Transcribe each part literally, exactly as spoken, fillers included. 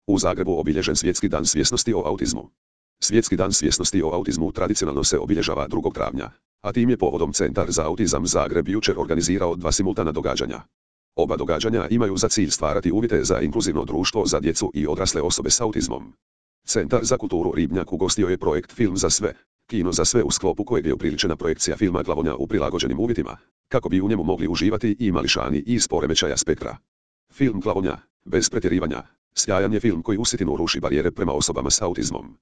U Zagrebu obilježen Svjetski dan svjesnosti o autizmu. Svjetski dan svjesnosti o autizmu tradicionalno se obilježava drugog travnja, a tim je povodom Centar za autizam Zagreb jučer organizirao dva simultana događanja. Oba događanja imaju za cilj stvarati uvjete za inkluzivno društvo za djecu i odrasle osobe s autizmom. Centar za kulturu Ribnjak ugostio je projekt Film za sve, kino za sve u sklopu kojeg je upriličena projekcija filma Glavonja u prilagođenim uvjetima, kako bi u njemu mogli uživati i mališani iz poremećaja spektra. Film Glavonja, bez pretjerivanja, sjajan je film koji usitinu ruši barijere prema osobama s autizmom.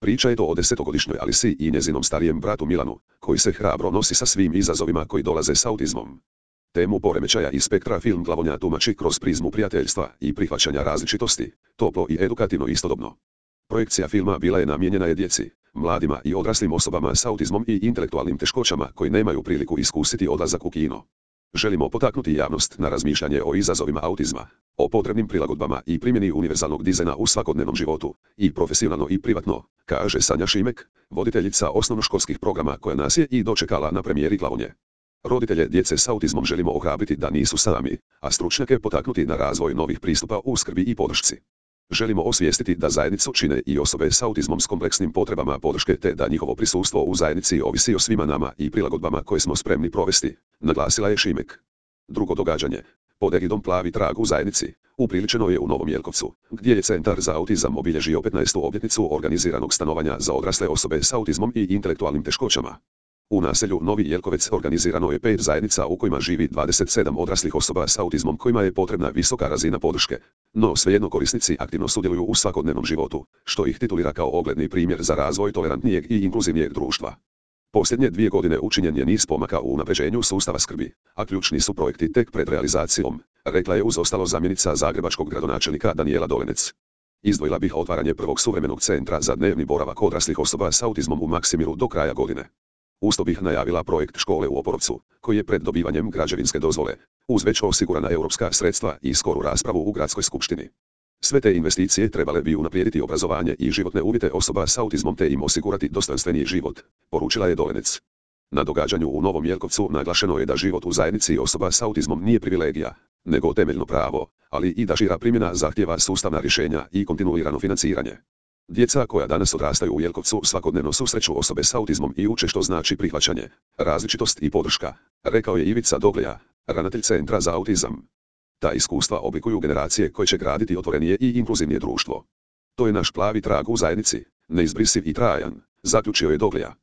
Priča je to o desetogodišnjoj Alisi i njezinom starijem bratu Milanu, koji se hrabro nosi sa svim izazovima koji dolaze s autizmom. Temu poremećaja i spektra film Glavonja tumači kroz prizmu prijateljstva i prihvaćanja različitosti, toplo i edukativno istodobno. Projekcija filma bila je namijenjena je djeci, mladima i odraslim osobama s autizmom i intelektualnim teškoćama koji nemaju priliku iskusiti odlazak u kino. Želimo potaknuti javnost na razmišljanje o izazovima autizma, o potrebnim prilagodbama i primjeni univerzalnog dizajna u svakodnevnom životu, i profesionalno i privatno, kaže Sanja Šimek, voditeljica osnovnoškolskih programa koja nas je i dočekala na premijeri Glavonje. Roditelje djece s autizmom želimo ohrabriti da nisu sami, a stručnjake potaknuti na razvoj novih pristupa u skrbi i podršci. Želimo osvijestiti da zajednicu čine i osobe s autizmom s kompleksnim potrebama podrške te da njihovo prisustvo u zajednici ovisi o svima nama i prilagodbama koje smo spremni provesti, naglasila je Šimek. Drugo događanje, pod egidom Plavi trag u zajednici, upriličeno je u Novom Jelkovcu, gdje je Centar za autizam obilježio petnaestu obljetnicu organiziranog stanovanja za odrasle osobe s autizmom i intelektualnim teškoćama. U naselju Novi Jelkovec organizirano je pet zajednica u kojima živi dvadeset sedam odraslih osoba s autizmom kojima je potrebna visoka razina podrške, no svejedno korisnici aktivno sudjeluju u svakodnevnom životu, što ih titulira kao ogledni primjer za razvoj tolerantnijeg i inkluzivnijeg društva. Posljednje dvije godine učinjen je niz pomaka u unapređenju sustava skrbi, a ključni su projekti tek pred realizacijom, rekla je uz ostalo zamjenica zagrebačkog gradonačelnika Danijela Dolenec. Izdvojila bih otvaranje prvog suvremenog centra za dnevni boravak odraslih osoba s autizmom u Maksimiru do kraja godine. Usto bih najavila projekt škole u Oporovcu, koji je pred dobivanjem građevinske dozvole, uz već osigurana europska sredstva i skoru raspravu u gradskoj skupštini. Sve te investicije trebale bi unaprijediti obrazovanje i životne uvjete osoba s autizmom te im osigurati dostojanstveniji život, poručila je Dolenec. Na događanju u Novom Jelkovcu naglašeno je da život u zajednici osoba s autizmom nije privilegija, nego temeljno pravo, ali i da šira primjena zahtjeva sustavna rješenja i kontinuirano financiranje. Djeca koja danas odrastaju u Jelkovcu svakodnevno susreću osobe s autizmom i uče što znači prihvaćanje, različitost i podrška, rekao je Ivica Dogleja, ravnatelj Centra za autizam. Ta iskustva oblikuju generacije koje će graditi otvorenije i inkluzivnije društvo. To je naš plavi trag u zajednici, neizbrisiv i trajan, zaključio je Dogleja.